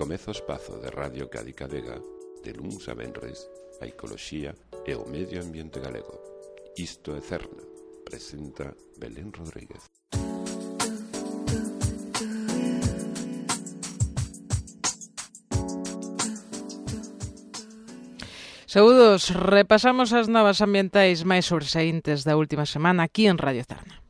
Comeza o espazo de Radio Cádiz Vega de luns a venres a ecoloxía e o medio ambiente galego. Isto é Cerna, presenta Belén Rodríguez. Saúdos, repasamos as novas ambientais máis sobresaíntes da última semana aquí en Radio Cerna.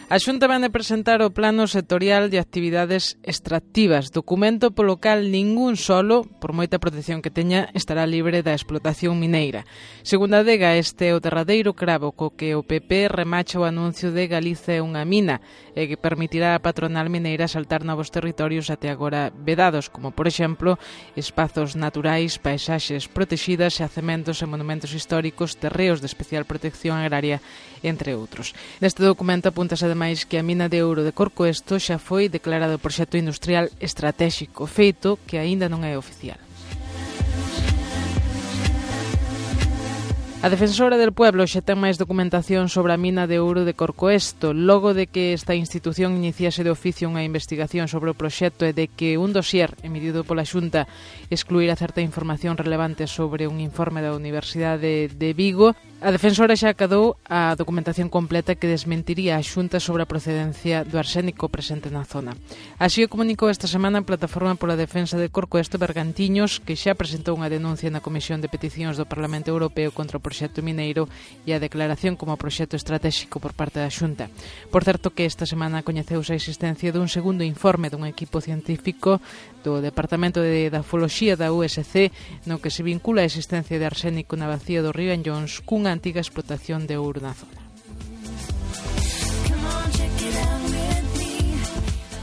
A Xunta vén de presentar o Plano Sectorial de Actividades Extractivas, documento polo cal ningún solo, por moita protección que teña, estará libre da explotación mineira. Segundo a Dega, este é o derradeiro cravo co que o PP remacha o anuncio de Galiza é unha mina e que permitirá á patronal mineira saltar novos territorios até agora vedados, como, por exemplo, espazos naturais, paisaxes protexidas, xacementos e monumentos históricos, terreos de especial protección agraria, entre outros. Neste documento apúntase ademais que a mina de ouro de Corcoesto xa foi declarado proxecto industrial estratéxico, feito que aínda non é oficial. A Defensora del Pueblo xa ten máis documentación sobre a mina de ouro de Corcoesto, logo de que esta institución iniciase de oficio unha investigación sobre o proxecto e de que un dossier emitido pola Xunta excluíra certa información relevante sobre un informe da Universidade de Vigo. A Defensora xa acadou a documentación completa que desmentiría a Xunta sobre a procedencia do arsénico presente na zona. Así o comunicou esta semana a Plataforma pola Defensa de Corcoesto Bergantiños, que xa presentou unha denuncia na Comisión de Peticións do Parlamento Europeo contra o proxecto mineiro e a declaración como proxecto estratéxico por parte da Xunta. Por certo que esta semana coñeceuse a existencia dun segundo informe dun equipo científico do Departamento de Edafoloxía da USC no que se vincula a existencia de arsénico na bacía do río Anllóns cunha antiga explotación de ouro na zona.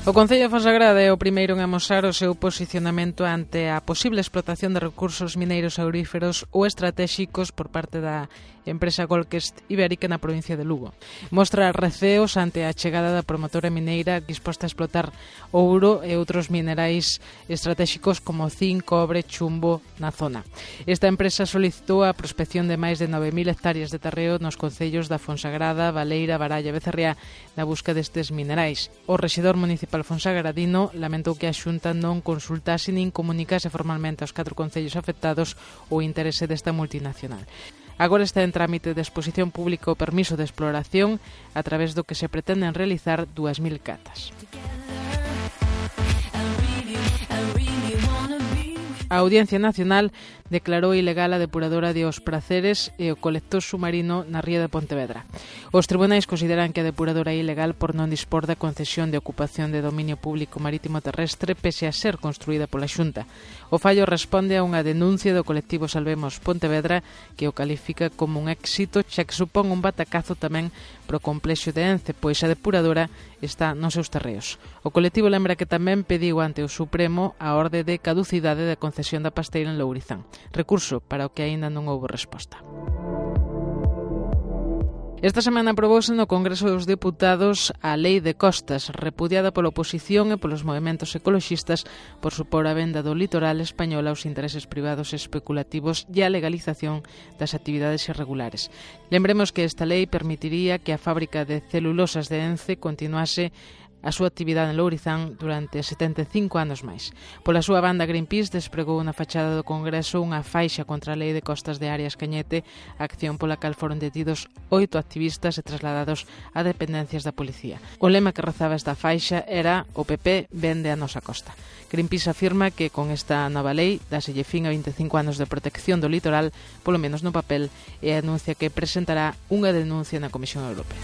O Concello de Fonsagrada é o primeiro en amosar o seu posicionamento ante a posible explotación de recursos mineiros auríferos ou estratéxicos por parte da empresa Golquest Ibérica na provincia de Lugo. Mostra receos ante a chegada da promotora mineira disposta a explotar ouro e outros minerais estratéxicos como zinc, cobre, chumbo na zona. Esta empresa solicitou a prospección de máis de 9.000 hectáreas de terreo nos concellos da Fonsagrada, Baleira, Baralla e Becerriá na busca destes minerais. O rexedor municipal fonsagradino lamentou que a Xunta non consultase nin comunicase formalmente aos 4 concellos afectados o interese desta multinacional. Agora está en trámite de exposición pública o permiso de exploración a través do que se pretenden realizar 2.000 catas. A Audiencia Nacional declarou ilegal a depuradora de Os Praceres e o colector submarino na ría de Pontevedra. Os tribunais consideran que a depuradora é ilegal por non dispor da concesión de ocupación de dominio público marítimo terrestre pese a ser construída pola Xunta. O fallo responde a unha denuncia do colectivo Salvemos Pontevedra que o califica como un éxito xa que supón un batacazo tamén pro complexo de Ence, pois a depuradora está nos seus terreos. O colectivo lembra que tamén pediu ante o Supremo a orde de caducidade da concesión da pasteira en Lourizán, recurso para o que aínda non houbo resposta. Esta semana aprobouse no Congreso dos Deputados a Lei de Costas, repudiada pola oposición e polos movementos ecoloxistas por supor a venda do litoral español aos intereses privados especulativos e a legalización das actividades irregulares. Lembremos que esta lei permitiría que a fábrica de celulosas de Ence continuase a súa actividade en Lourizán durante 75 anos máis. Pola súa banda, Greenpeace despregou na fachada do Congreso unha faixa contra a Lei de Costas de Arias Cañete, acción pola cal foron detidos 8 activistas e trasladados a dependencias da policía. O lema que rezaba esta faixa era "O PP vende a nosa costa". Greenpeace afirma que con esta nova lei dáselle fin a 25 anos de protección do litoral, polo menos no papel, e anuncia que presentará unha denuncia na Comisión Europea.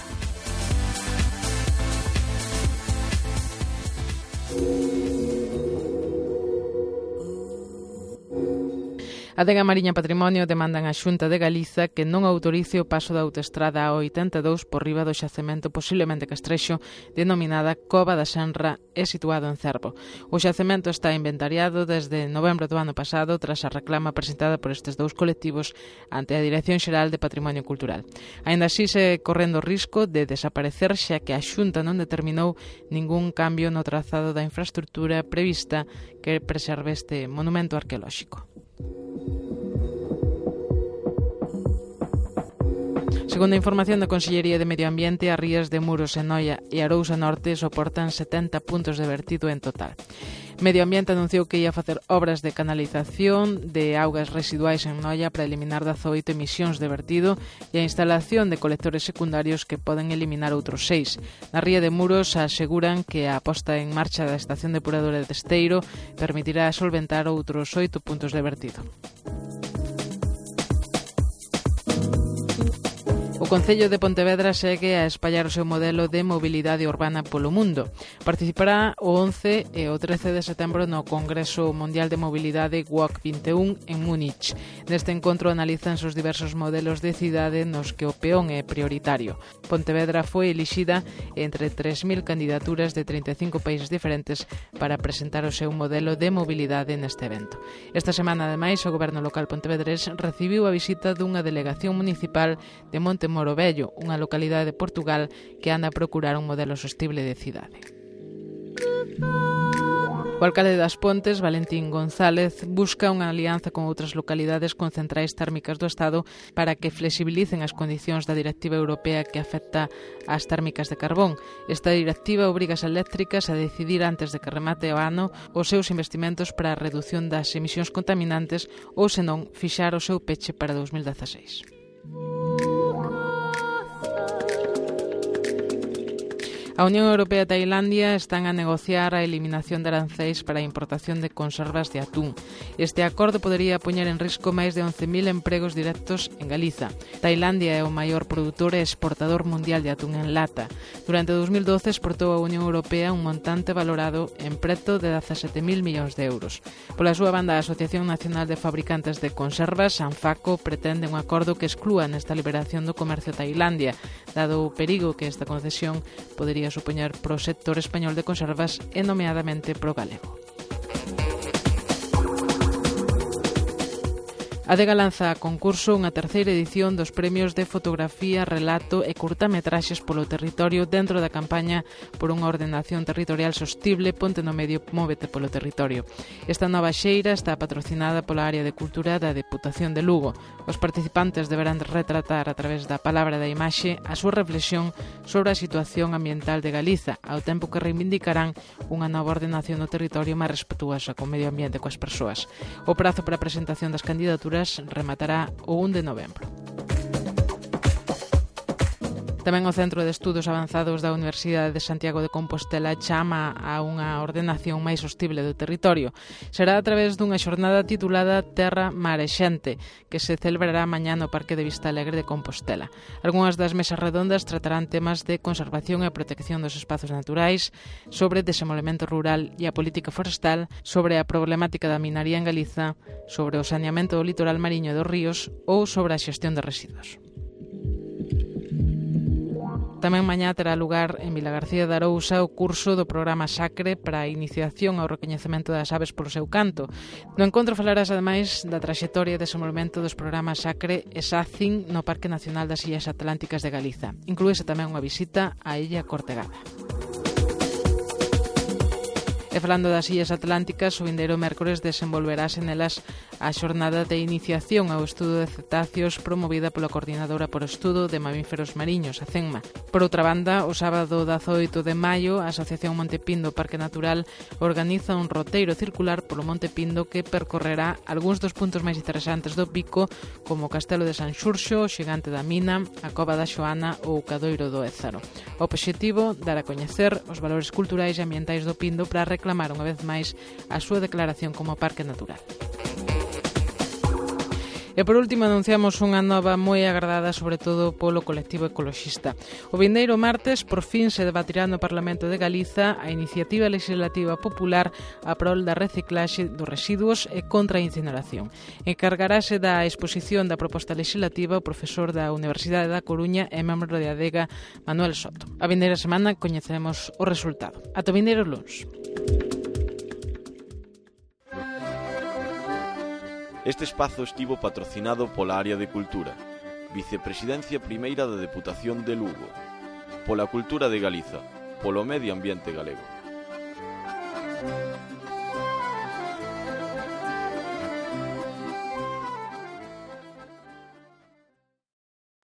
A Dega Mariña Patrimonio demandan á Xunta de Galiza que non autorice o paso da autoestrada A82 por riba do xacemento posiblemente castrexo denominada Cova da Senra e situado en Cervo. O xacemento está inventariado desde novembro do ano pasado tras a reclama presentada por estes dous colectivos ante a Dirección Xeral de Patrimonio Cultural. Aínda así se correndo o risco de desaparecer xa que a Xunta non determinou ningún cambio no trazado da infraestrutura prevista que preserve este monumento arqueolóxico. Segundo a información da Consellería de Medio Ambiente, as rías de Muros e Noia e Arousa Norte soportan 70 puntos de vertido en total. Medio Ambiente anunciou que ia facer obras de canalización de augas residuais en Noia para eliminar 18 emisións de vertido e a instalación de colectores secundarios que poden eliminar outros 6. Na ría de Muros aseguran que a posta en marcha da estación depuradora de Esteiro permitirá solventar outros 8 puntos de vertido. O Concello de Pontevedra segue a espallar o seu modelo de mobilidade urbana polo mundo. Participará o 11 e o 13 de setembro no Congreso Mundial de Mobilidade WOC 21 en Múnich. Neste encontro analizan os diversos modelos de cidade nos que o peón é prioritario. Pontevedra foi elixida entre 3.000 candidaturas de 35 países diferentes para presentar o seu modelo de mobilidade neste evento. Esta semana, ademais, o Goberno local pontevedrés recibiu a visita dunha delegación municipal de Monte Moro Vello, unha localidade de Portugal que anda a procurar un modelo sostible de cidade. O alcalde das Pontes, Valentín González, busca unha alianza con outras localidades con centrais térmicas do Estado para que flexibilicen as condicións da directiva europea que afecta ás térmicas de carbón. Esta directiva obriga as eléctricas a decidir antes de que remate o ano os seus investimentos para a reducción das emisións contaminantes ou, senón, fixar o seu peche para 2016. A Unión Europea e Tailandia están a negociar a eliminación de arancéis para a importación de conservas de atún. Este acordo podería poñer en risco máis de 11.000 empregos directos en Galiza. Tailandia é o maior produtor e exportador mundial de atún en lata. Durante 2012 exportou a Unión Europea un montante valorado en preto de 17.000 millóns de euros. Pola súa banda, a Asociación Nacional de Fabricantes de Conservas, ANFACO, pretende un acordo que exclúa nesta liberación do comercio a Tailandia, dado o perigo que esta concesión podería supoñer pro sector español de conservas e nomeadamente pro galego. A Adega lanza a concurso unha terceira edición dos premios de fotografía, relato e curtametraxes polo territorio dentro da campaña por unha ordenación territorial sostible Ponte no Medio, móvete polo territorio. Esta nova xeira está patrocinada pola área de cultura da Deputación de Lugo. Os participantes deberán retratar a través da palabra da imaxe a súa reflexión sobre a situación ambiental de Galiza, ao tempo que reivindicarán unha nova ordenación do territorio máis respetuosa co medio ambiente e coas persoas. O prazo para a presentación das candidaturas rematará o 1 de novembro. Tamén o Centro de Estudos Avanzados da Universidade de Santiago de Compostela chama a unha ordenación máis sostible do territorio. Será a través dunha xornada titulada Terra, Mar e Xente, que se celebrará mañá no Parque de Vista Alegre de Compostela. Algúnas das mesas redondas tratarán temas de conservación e protección dos espazos naturais, sobre desenvolvemento rural e a política forestal, sobre a problemática da minaría en Galiza, sobre o saneamento do litoral mariño e dos ríos ou sobre a xestión de residuos. Tamén mañá terá lugar en Vilagarcía de Arousa o curso do programa Sacre para a iniciación ao recoñecemento das aves polo seu canto. No encontro falarás ademais da traxectoria e desenvolvemento dos programas Sacre e SACIN no Parque Nacional das Illas Atlánticas de Galiza. Inclúese tamén unha visita á Illa Cortegada. E falando das Illas Atlánticas, o vindeiro mércores desenvolverase nelas a xornada de iniciación ao estudo de cetáceos promovida pola Coordinadora por Estudo de Mamíferos Mariños, a CENMA. Por outra banda, o sábado 18 de maio, a Asociación Monte Pindo Parque Natural organiza un roteiro circular polo Monte Pindo que percorrerá algúns dos puntos máis interesantes do Pico, como o Castelo de San Xurxo, o Xigante da Mina, a Cova da Xoana ou o Cadoiro do Ézaro. O obxectivo, dar a coñecer os valores culturais e ambientais do Pindo para reclamar unha vez máis a súa declaración como parque natural. E por último anunciamos unha nova moi agardada sobre todo polo colectivo ecoloxista. O vindeiro martes por fin se debatirá no Parlamento de Galiza a iniciativa legislativa popular a prol da reciclaxe dos residuos e contra a incineración. Encargarase da exposición da proposta legislativa o profesor da Universidade da Coruña e membro de Adega Manuel Soto. A vindeira semana coñeceremos o resultado. Ata o vindeiro luns. Este espazo estivo patrocinado pola Área de Cultura, Vicepresidencia Primeira da Deputación de Lugo, pola Cultura de Galiza, polo Medio Ambiente Galego.